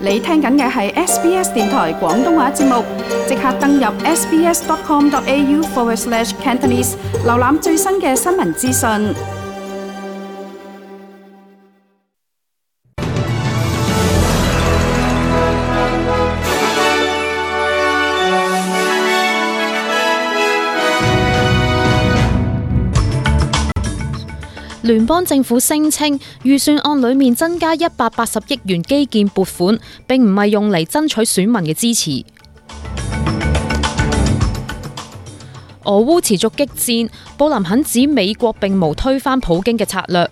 你聽緊嘅係 SBS 電台廣東話節目，即刻登入 sbs.com.au/Cantonese 瀏覽最新嘅新聞資訊。聯邦政府聲稱預算案裏面增加180億元基建撥款，並唔係用嚟爭取選民嘅支持。俄烏持續激戰，布林肯指美國並無推翻普京嘅策略。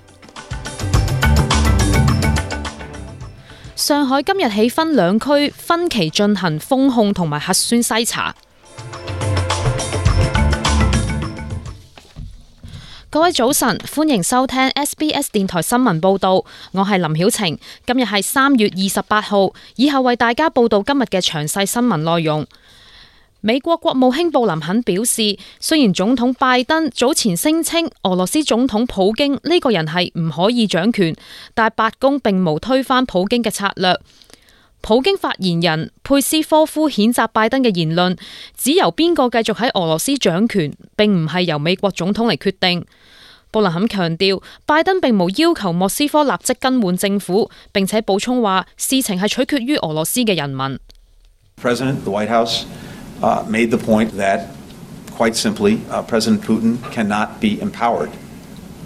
上海今日起分兩區分期進行封控同埋核酸篩查。各位早晨，歡迎收聽 SBS 電台新聞報道，我係林曉晴。今日係3月28號，以後為大家報道今日嘅詳細新聞內容。美國國務卿布林肯表示，雖然總統拜登早前聲稱俄羅斯總統普京呢個人係唔可以掌權，但白宮並無推翻普京嘅策略。普京發言人佩斯科夫譴責拜登嘅言論，指由邊個繼續喺俄羅斯掌權，並唔係由美國總統嚟決定。布林肯強調，拜登並無要求莫斯科立即更換政府，並且補充話，事情係取決於俄羅斯嘅人民。President, the White House made the point that, quite simply, President Putin cannot be empowered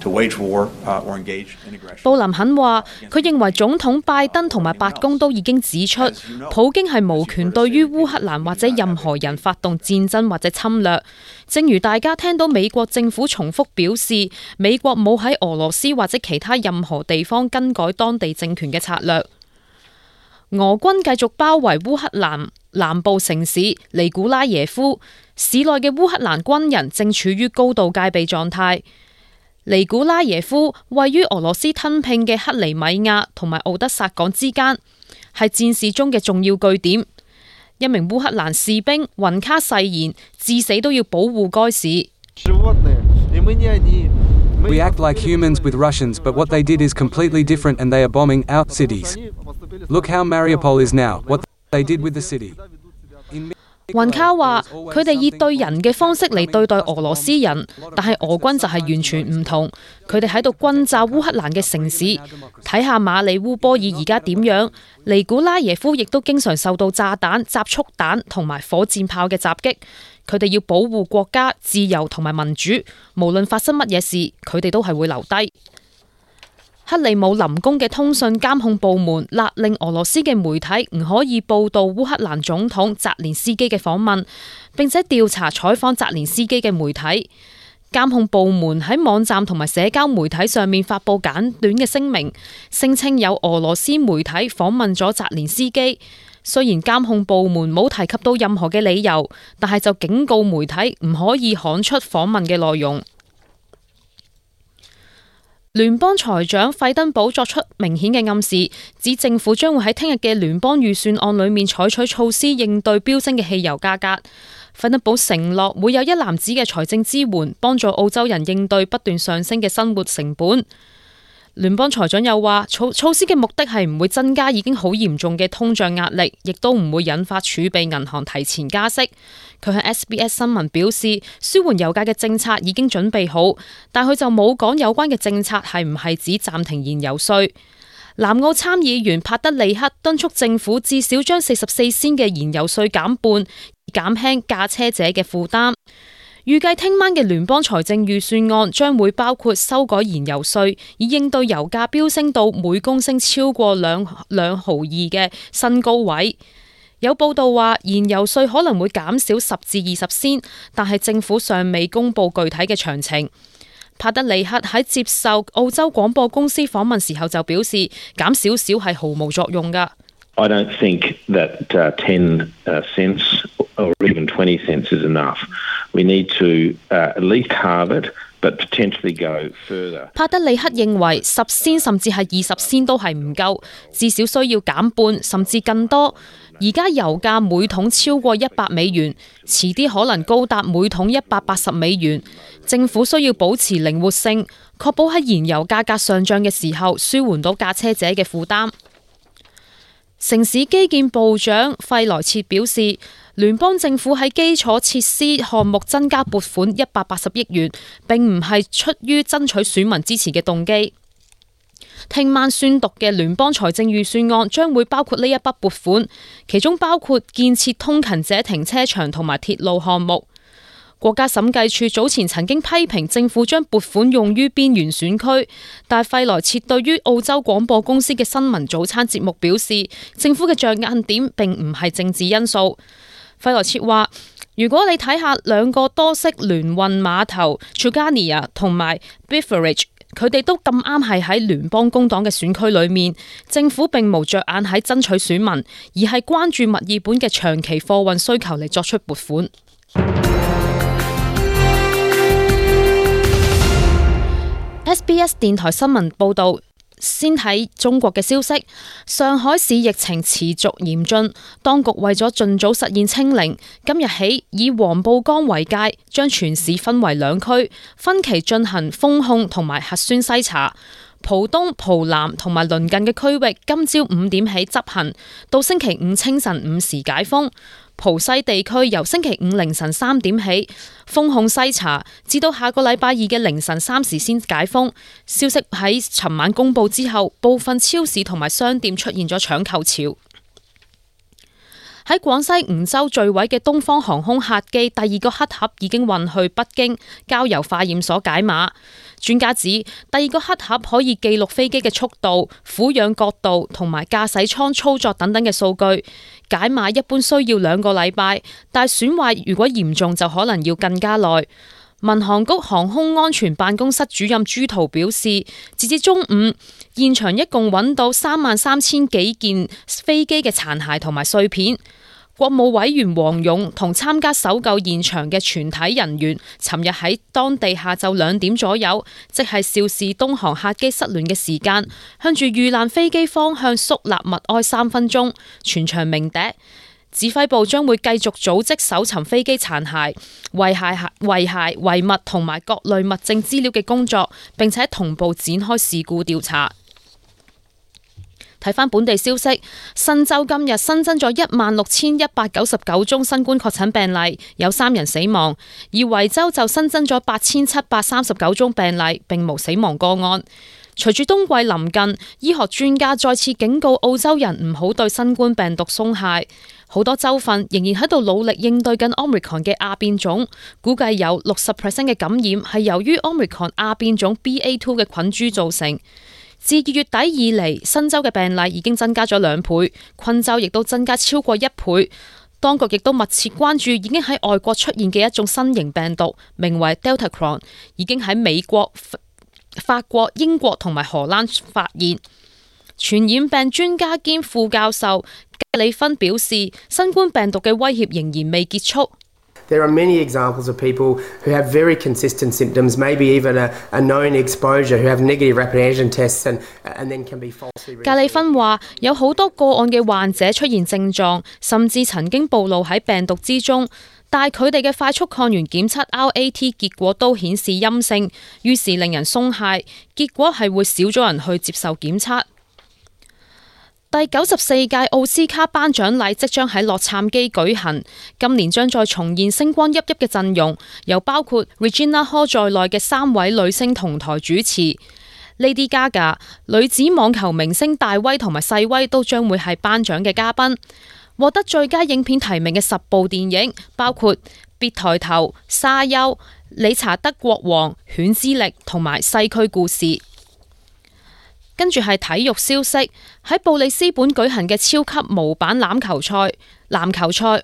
to wage war or engage in aggression. 布林肯話，佢認為總統拜登同埋白宮都已經指出，普京係無權對於烏克蘭或者任何人發動戰爭或者侵略。正如大家聽到美國政府重複表示，美國冇喺俄羅斯或者其他任何地方更改當地政權嘅策略。俄軍繼續包圍烏克蘭南部城市尼古拉耶夫，市內嘅烏克蘭軍人正處於高度戒備狀態。尼古拉耶夫位於俄羅斯吞併嘅克里米亞同埋敖德薩港之間，係戰事中嘅重要據點。一名烏克蘭士兵雲卡誓言，至死都要保護該市。We act like humans with Russians, but what they did is completely different, and they are bombing our cities. Look how Mariupol is now. What they did with the city. 雲卡話：佢哋以對人嘅方式嚟對待俄羅斯人，但係俄軍就係完全唔同。佢哋喺度轟炸烏克蘭嘅城市，睇下馬里烏波爾而家點樣。尼古拉耶夫亦都經常受到炸彈、集束彈同埋火箭炮嘅襲擊。佢哋要保護國家、自由同埋民主，無論發生乜嘢事，佢哋都係會留低。克里姆林宮嘅通訊監控部門勒令俄羅斯嘅媒體唔可以報道烏克蘭總統澤連斯基嘅訪問，並且調查採訪澤連斯基嘅媒體。監控部門喺網站同埋社交媒體上面發布簡短嘅聲明，聲稱有俄羅斯媒體訪問咗澤連斯基。雖然監控部門冇提及到任何嘅理由，但係就警告媒體唔可以刊出訪問嘅內容。聯邦財長費登堡作出明顯嘅暗示，指政府將會喺聽日嘅聯邦預算案裏面採取措施應對飆升嘅汽油價格。費登堡承諾會有一籃子嘅財政支援，幫助澳洲人應對不斷上升嘅生活成本。聯邦財長又話，措施嘅目的係唔會增加已經好嚴重嘅通脹壓力，亦都唔會引發儲備銀行提前加息。佢向 SBS 新聞表示，舒緩油價嘅政策已經準備好，但佢就冇講有關嘅政策係唔係指暫停燃油稅。南澳參議員帕德里克敦促政府至少將44仙嘅燃油稅減半，以減輕駕車者嘅負擔。預計聽晚嘅聯邦財政預算案將會包括修改燃油稅，以應對油價飆升到每公升超過2毫2嘅新高位。有報道話，燃油稅可能會減少10至20仙，但係政府尚未公布具體嘅詳情。帕德里克喺接受澳洲廣播公司訪問時候就表示，減少少係毫無作用㗎。I don't think that 10 cents or even 20 cents is enough. We need to at least halve it, but potentially go further. 帕德里克認為10仙甚至係20仙都係唔夠，至少需要減半甚至更多。而家油價每桶超過100美元，遲啲可能高達每桶180美元。政府需要保持靈活性，確保喺燃油價格上漲嘅時候，舒緩到駕車者嘅負擔。城市基建部長費萊切表示，聯邦政府喺基礎設施項目增加撥款180億元，並唔係出於爭取選民支持嘅動機。聽晚宣讀嘅聯邦財政預算案將會包括呢一筆撥款，其中包括建設通勤者停車場同埋鐵路項目。國家審計處早前曾經批評政府將撥款用於邊緣選區，但費萊切對於澳洲廣播公司嘅新聞早餐節目表示，政府嘅着眼點並唔係政治因素。費萊切話：如果你睇下兩個多式聯運碼頭 Truganina 同埋 Beveridge， 佢哋都咁啱係喺聯邦工黨嘅選區裏面，政府並無着眼喺爭取選民，而係關注墨爾本嘅長期貨運需求嚟作出撥款。SBS 電台新聞報道，先睇中國嘅消息。上海市疫情持續嚴峻，當局為咗盡早實現清零，今日起以黃浦江為界，將全市分為兩區，分期進行封控同埋核酸篩查。浦東、浦南同埋鄰近嘅區域今朝5點起執行，到星期五清晨5時解封。浦西地區由星期五凌晨3點起封控篩查，至到下個禮拜二嘅凌晨3時先解封。消息喺尋晚公布之後，部分超市同埋商店出現咗搶購潮。喺廣西梧州墜毀嘅東方航空客機第二個黑盒已經運去北京交由化驗所解碼。專家指第二個黑盒可以記錄飛機嘅速度、俯仰角度同埋駕駛艙操作等等嘅數據。解碼一般需要2個禮拜，但損壞如果嚴重就可能要更加耐。民航局航空安全辦公室主任朱濤表示，截至中午，現場一共揾到33000幾件飛機嘅殘骸同埋碎片。國務委員王勇同參加搜救現場嘅全體人員，尋日喺當地下晝2點左右，即係肇事東航客機失聯嘅時間，向住遇難飛機方向肅立默哀3分鐘，全場鳴笛。指揮部將會繼續組織搜尋飛機殘骸、遺物同埋各類物證資料嘅工作，並且同步展開事故調查。睇返本地消息，新州今日新增咗16199宗新冠確診病例，有3人死亡；而維州就新增咗8739宗病例，並無死亡個案。隨住冬季臨近，醫學專家再次警告澳洲人唔好對新冠病毒鬆懈。好多州份仍然喺度努力應對緊 Omicron 嘅亞變種，估計有60% 嘅感染係由於 Omicron 亞變種 BA2 嘅菌株造成。自2月底以嚟，新州嘅病例已經增加咗2倍，昆州亦都增加超過1倍。當局亦都密切關注已經喺外國出現嘅一種新型病毒，名為 Deltacron， 已經喺美國、法國、英國同埋荷蘭發現。傳染病專家兼副教授格里芬表示，新冠病毒嘅威脅仍然未結束。There are many examples of people who have very consistent symptoms, maybe even a known exposure, who have negative rapid antigen tests and then can be falsely. 格里芬話：有好多個案嘅患者出現症狀，甚至曾經暴露喺病毒之中，但係佢哋嘅快速抗原檢測 RAT 結果都顯示陰性，於是令人鬆懈。結果係會少咗人去接受檢測。第94屆奧斯卡頒獎禮即將喺洛杉磯舉行，今年將再重現星光熠熠嘅陣容，由包括 Regina Hall 在內嘅3位女星同台主持。Lady Gaga、女子網球明星大威同埋細威都將會係頒獎嘅嘉賓。獲得最佳影片提名嘅10部電影，包括《別抬頭》、《沙丘》、《理查德國王》、《犬之力》同埋《西區故事》。跟住係體育消息，喺布里斯本舉行嘅超級模板籃球賽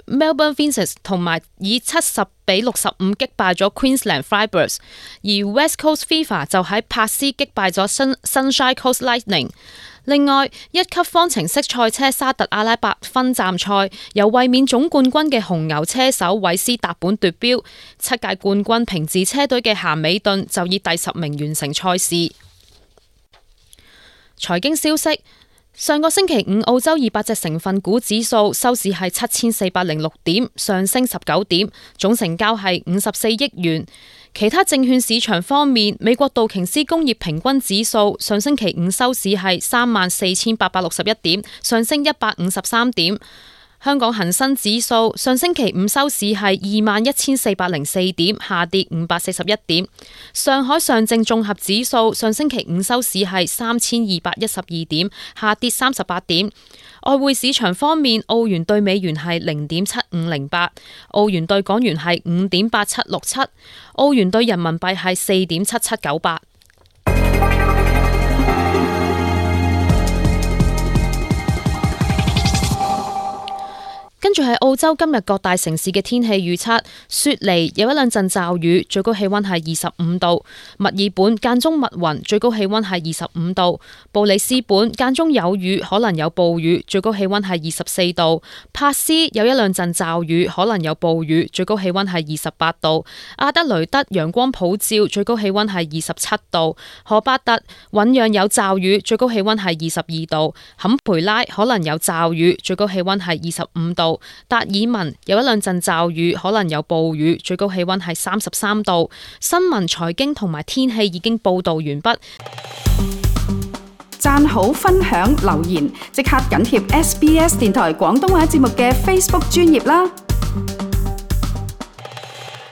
，Melbourne Vinces 同埋以70-65擊敗咗 Queensland Fibers， 而 West Coast Fever 就喺珀斯擊敗咗 Sunshine Coast Lightning。另外，1級方程式賽車沙特阿拉伯分站賽，由衛冕總冠軍嘅紅牛車手韋斯達本奪標，7屆冠軍平治車隊嘅咸美頓就以第10名完成賽事。財經消息，上個星期五，澳洲200隻成分股指數收市係7406點，上升19點，總成交係54億元。其他證券市場方面，美國道瓊斯工業平均指數上星期五收市係34,861點，上升153點。香港恒生指數上星期五收市係21,404點，下跌541點。上海上證綜合指數上星期五收市係3,212點，下跌38點。外匯市場方面，澳元對美元係0.7508，澳元對港元係5.8767，澳元對人民幣係4.7798。跟住係澳洲今日各大城市嘅天氣預測：雪梨有一兩陣驟雨，最高氣溫係25度；墨爾本間中密雲，最高氣溫係25度；布里斯本間中有雨，可能有暴雨，最高氣溫係24度；珀斯有一兩陣驟雨，可能有暴雨，最高氣溫係28度；阿德雷德陽光普照，最高氣溫係27度；荷巴特醞釀有驟雨，最高氣溫係22度；坎培拉可能有驟雨，最高氣溫係25度。達爾文有一兩陣驟雨，可能有暴雨，最高氣溫係33度。新聞、財經同埋天氣已經報道完畢。讚好、分享、留言，即刻緊貼SBS 電台廣東話節目嘅 Facebook 專頁啦！